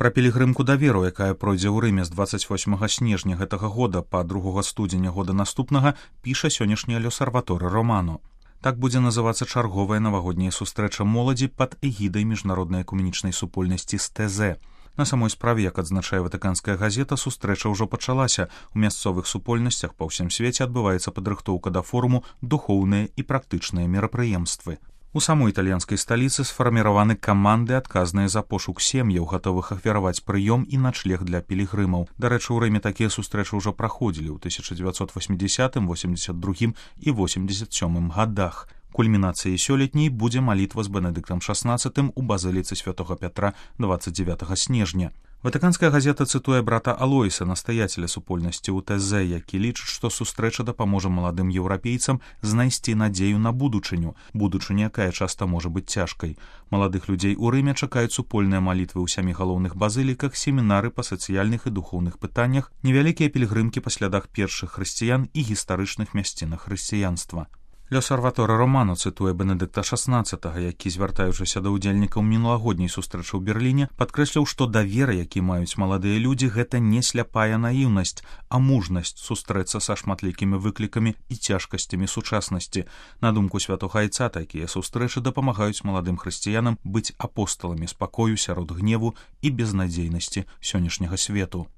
Пра пілігрымку даверу, якая пройдзе ў Рыме з 28 снежня гэтага года па 2 студзеня года наступнага, піша сённяшняя L'Osservatore Romano. Так будзе называцца чарговая навагодняя сустрэча моладзі пад эгідай міжнароднай экуменічнай супольнасці СТЗ. На самой справе, як адзначае ватыканская газета, сустрэча ўжо пачалася. У мясцовых супольнасцях па ўсім свеце адбываецца падрыхтоўка да форуму «Духоўныя і практычныя мерапрыемствы». У самой італьянскай сталіцы сфарміраваны каманды, адказныя за пошук сем'яў, гатовых ахвяраваць прыём і начлег для пілігрымаў. Дарэчы, у Рыме такія сустрэчы ўжо праходзілі ў 1980, 82 і 87 гадах. Кульмінацыяй сёлетняй будзе малітва з Бенедыктам XVI у базыліцы святога Пятра 29 снежня. Ватыканская газета цытуе брата Алоіса, настаяцеля супольнасці УТЗ, які лічыць, што сустрэча дапаможа маладым еўрапейцам знайсці надзею на будучыню, якая часта можа быць цяжкай. Маладых людзей у Рыме чакаюць супольныя малітвы ў 7 галоўных базыліках, семінары па сацыяльных і духоўных пытаннях, невялікія пілігрымкі па слядах першых хрысціян і гістарычных мясцінах хрысціянства. L'Osservatore Romano цытуе Бенедыкта XVI, які, звяртаючыся да ўдзельнікаў мінулагодняй сустрэчы ў Берліне, падкрэсліў, што давера, які маюць маладыя людзі, гэта не сляпая наіўнасць, а мужнасць сустрэцца са шматлікімі выклікамі і цяжкасцямі сучаснасці. На думку святога айца, такія сустрэчы дапамагаюць маладым хрысціянам быць апосталамі спакою сярод гневу і безнадзейнасці сённяшняга свету.